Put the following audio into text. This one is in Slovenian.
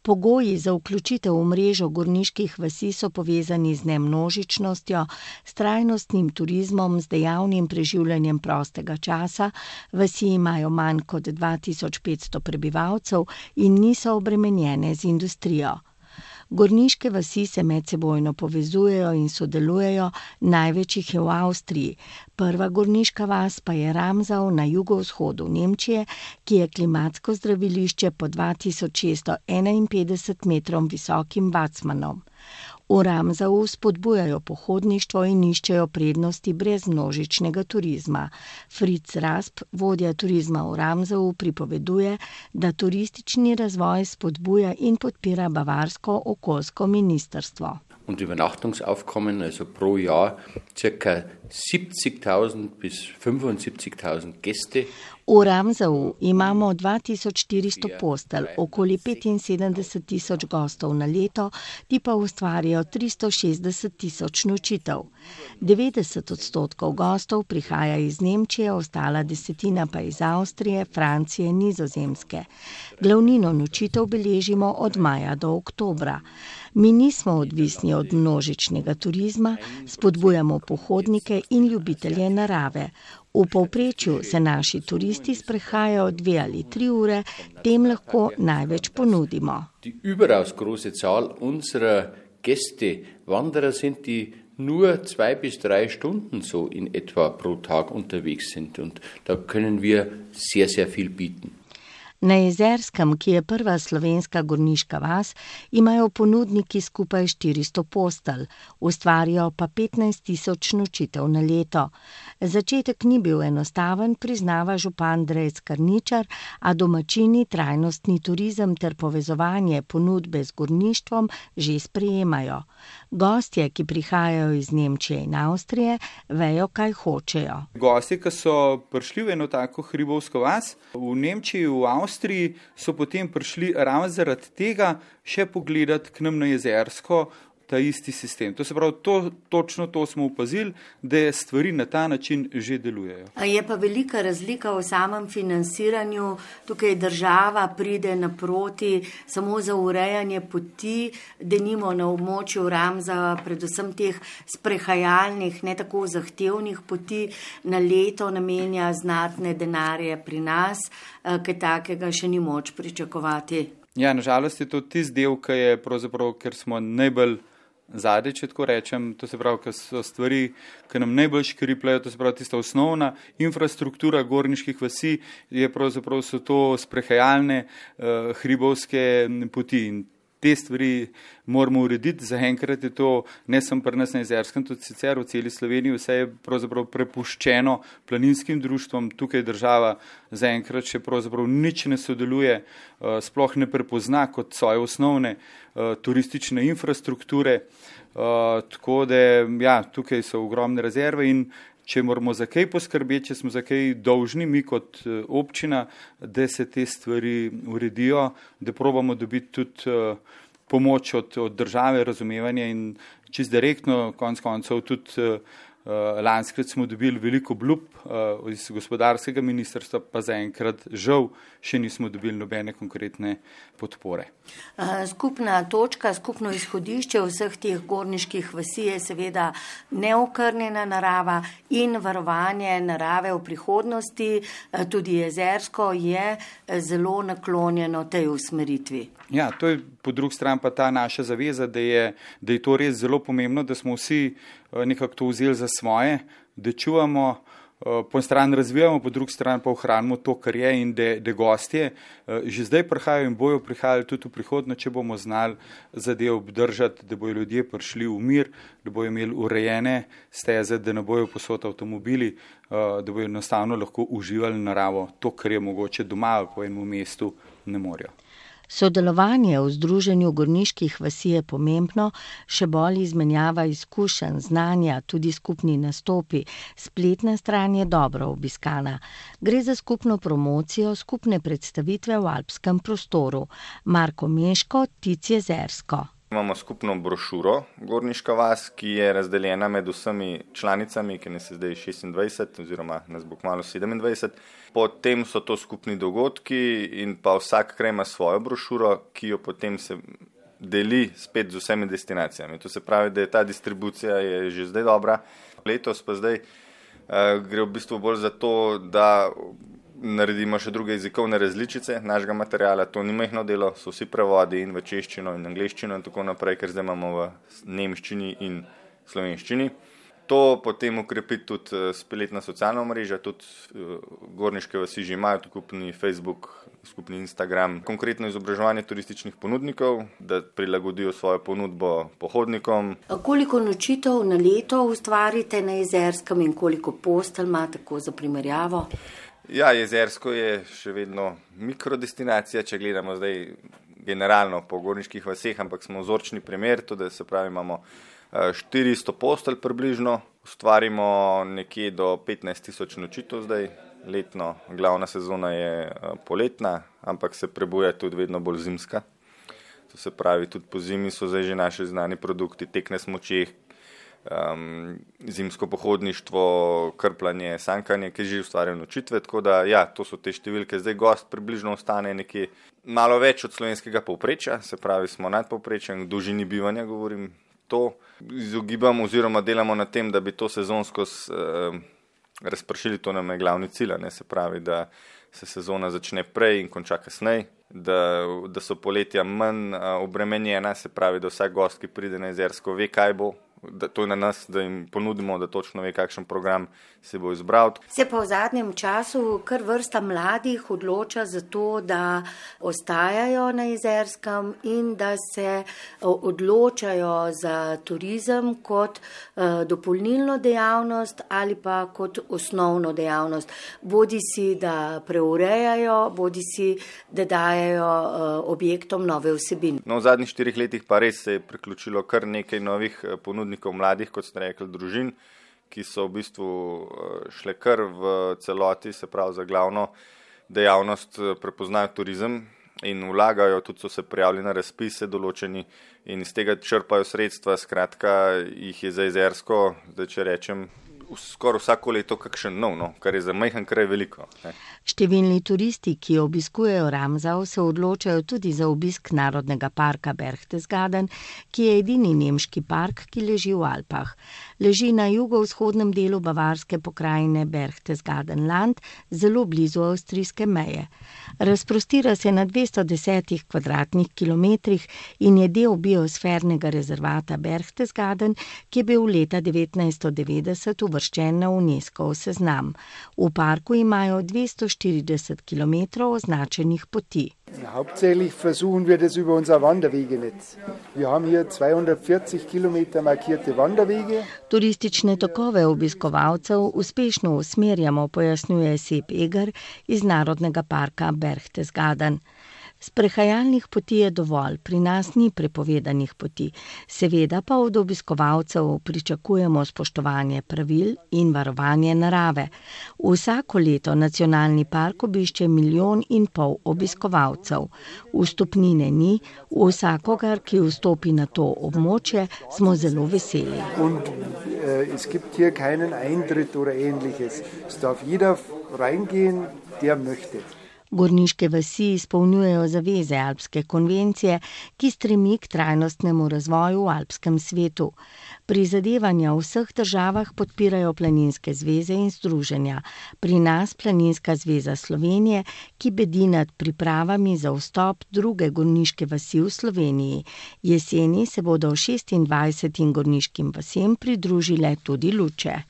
Pogoji za vključitev v mrežo gorniških vasi so povezani z nemnožičnostjo, s trajnostnim turizmom, z dejavnim preživljanjem prostega časa, vasi imajo manj kot 2500 prebivalcev in niso obremenjene z industrijo. Gorniške vasi se medsebojno povezujejo in sodelujejo, največ jih je v Avstriji. Prva gorniška vas pa je Ramsau na jugovzhodu Nemčije, ki je klimatsko zdravilišče pod 2651 metrom visokim bacmanom. V Ramsau spodbujajo pohodništvo in iščejo prednosti brez množičnega turizma. Fritz Rasp, vodja turizma v Ramsau, pripoveduje, da turistični razvoj spodbuja in podpira bavarsko okoljsko ministrstvo. Und Übernachtungsaufkommen, also pro Jahr ca. 70.000 bis 75.000 Gäste. V Ramsau imamo 2400 postelj, okoli 75.000 gostov na leto, ti pa ustvarijo 360.000 nočitev. 90% gostov prihaja iz Nemčije, ostala desetina pa iz Avstrije, Francije, Nizozemske. Glavnino nočitev beležimo od maja do oktobra. Mi nismo odvisni od množičnega turizma, spodbujamo pohodnike in ljubitelje narave. V povprečju se naši turisti sprehajajo 2 ali 3 ure, tem lahko največ ponudimo. Die überaus große Zahl unserer Gäste, Wanderer sind, die nur 2 bis 3 Stunden so in etwa pro Tag unterwegs sind. Und da können wir sehr, sehr viel bieten. Na Jezerskem, ki je prva slovenska gorniška vas, imajo ponudniki skupaj 400 postelj, ustvarijo pa 15.000 nočitev na leto. Začetek ni bil enostaven, priznava župan Drejc Karničar, a domačini trajnostni turizem ter povezovanje ponudbe z gorništvom že sprejemajo. Gostje, ki prihajajo iz Nemčije in Avstrije, vejo, kaj hočejo. Gostje, ki so prišli v eno tako hribovsko vas, v Nemčiji, v Avstriji, so potem prišli ravno zaradi tega še pogledati k nam na Jezersko ta isti sistem. To se pravi, točno to smo opazili, da stvari na ta način že delujejo. Je pa velika razlika v samem financiranju. Tukaj država pride naproti samo za urejanje poti, denimo na območju Ramsau, predvsem teh sprehajalnih, ne tako zahtevnih poti, na leto namenja znatne denarje pri nas, kaj takega še ni moč pričakovati. Ja, nažalost je to tisti del, ki je pravzaprav, ker smo najbolj zadnji, če tako rečem, to se pravi, ker so stvari, ki nam najbolj škripljajo, to se pravi, tista osnovna infrastruktura gorniških vasi, je pravzaprav so to sprehajalne hribovske poti in te stvari moramo urediti. Zaenkrat je to ne samo pri nas na Jezerskem, tudi sicer v celi Sloveniji, vse je pravzaprav prepuščeno planinskim društvom, tukaj država zaenkrat še pravzaprav nič ne sodeluje, sploh ne prepozna kot svoje osnovne turistične infrastrukture, tako da ja, tukaj so ogromne rezerve in če moramo za kaj poskrbeti, če smo za kaj dolžni mi kot občina, da se te stvari uredijo, da probamo dobiti tudi pomoč od države, razumevanje in čisto direktno, konec koncev tudi lanskrat smo dobili veliko obljub iz gospodarskega ministrstva, pa zaenkrat žal še nismo dobili nobene konkretne podpore. Skupna točka, skupno izhodišče vseh teh gorniških vasi je seveda neokrnjena narava in varovanje narave v prihodnosti. Tudi Jezersko je zelo naklonjeno tej usmeritvi. Ja, to je po drugi strani pa ta naša zaveza, da je to res zelo pomembno, da smo vsi nekako to vzeli za svoje, da čuvamo, po eni strani razvijamo, po drugi strani pa ohranimo to, kar je in da gostje že zdaj prihajajo in bojo prihajali tudi v prihodnje, če bomo znali zadev obdržati, da bojo ljudje prišli v mir, da bojo imeli urejene steze, da ne bojo posod avtomobili, da bojo enostavno lahko uživali naravo, to, kar je mogoče doma po enem mestu ne morejo. Sodelovanje v združenju gorniških vasi je pomembno, še bolj izmenjava izkušenj, znanja, tudi skupni nastopi. Spletna stran je dobro obiskana. Gre za skupno promocijo, skupne predstavitve v alpskem prostoru. Marko Meško, Tic Jezersko. Imamo skupno brošuro Gorniška vas, ki je razdeljena med vsemi članicami, ki nas je zdaj 26 oziroma nas bo kmalu 27. Potem so to skupni dogodki in pa vsak kraj ima svojo brošuro, ki jo potem se deli spet z vsemi destinacijami. To se pravi, da je ta distribucija je že zdaj dobra. Letos pa zdaj gre v bistvu bolj za to, da naredimo še druge jezikovne različice našega materiala. To ni majhno delo, so vsi prevodi in v češčino in angleščino in tako naprej, ker zdaj imamo v nemščini in slovenščini. To potem ukrepi tudi spletna socialna mreža, tudi Gorniške vasi že imajo skupni Facebook, skupni Instagram, konkretno izobraževanje turističnih ponudnikov, da prilagodijo svojo ponudbo pohodnikom. Koliko nočitev na leto ustvarite na Jezerskem in koliko postelj ima, tako za primerjavo? Ja, Jezersko je še vedno mikrodestinacija, če gledamo zdaj generalno po gorniških vaseh, ampak smo vzorčni primer, tudi se pravi imamo 400 postelj približno, ustvarimo nekje do 15,000 nočitev zdaj letno, glavna sezona je poletna, ampak se prebuja tudi vedno bolj zimska. To se pravi, tudi po zimi so zdaj že naši znani produkti, tek na smučeh, zimsko pohodništvo, krpljanje, sankanje, ki že ustvarjajo nočitve, tako da ja, to so te številke. Zdaj gost približno ostane nekje malo več od slovenskega povprečja, se pravi smo nad povprečjem, v dolžini bivanja govorim. To izogibamo oziroma delamo na tem, da bi to sezonsko razpršili, to nam je glavni cilj, ne, se pravi, da se sezona začne prej in konča kasneje, da so poletja manj obremenjena, se pravi, da vsak gost, ki pride na Jezersko, ve, kaj bo. To je na nas, da jim ponudimo, da točno ve, kakšen program se bo izbral. Se pa v zadnjem času kar vrsta mladih odloča za to, da ostajajo na Jezerskem in da se odločajo za turizem kot dopolnilno dejavnost ali pa kot osnovno dejavnost. Bodi si, da preurejajo, bodi si, da dajejo objektom nove vsebine. No, v zadnjih 4 letih pa res se je priključilo kar nekaj novih ponudnikov mladih, kot ste rekli, družin, ki so v bistvu šle kar v celoti, se pravi za glavno dejavnost prepoznajo turizem in vlagajo, tudi so se prijavili na razpise določeni in iz tega črpajo sredstva, skratka jih je za Jezersko, zdaj če rečem, skoraj vsako leto kakšen nov, kar je za majhen kraj veliko. Ne. Številni turisti, ki obiskujejo Ramsau, se odločajo tudi za obisk Narodnega parka Berchtesgaden, ki je edini nemški park, ki leži v Alpah. Leži na jugovzhodnem delu bavarske pokrajine Berchtesgadenland, zelo blizu avstrijske meje. Razprostira se na 210 kvadratnih kilometrih in je del biosfernega rezervata Berchtesgaden, ki je bil leta 1990 uvrščen na UNESCO seznam. V parku imajo 240 kilometrov označenih poti. Hauptsächlich versuchen wir das über unser Wanderwegenetz. Wir haben hier 240 Kilometer markierte Wanderwege. Turistične tokove obiskovalcev uspešno usmerjamo, pojasnjuje Sepp Eger iz Narodnega parka Berchtesgaden. Sprehajalnih poti je dovolj, pri nas ni prepovedanih poti. Seveda pa od obiskovalcev pričakujemo spoštovanje pravil in varovanje narave. Vsako leto nacionalni park obišče 1,5 milijona obiskovalcev. Vstopnine ni, vsakogar, ki vstopi na to območje, smo zelo veseli. Es gibt hier keinen Eintritt oder ähnliches. Es darf jeder reingehen, der möchte. Gorniške vasi izpolnjujejo zaveze Alpske konvencije, ki stremi k trajnostnemu razvoju v alpskem svetu. Prizadevanja v vseh državah podpirajo planinske zveze in združenja. Pri nas Planinska zveza Slovenije, ki bedi nad pripravami za vstop druge gorniške vasi v Sloveniji. Jeseni se bodo 26 gorniškim vasem pridružile tudi Luče.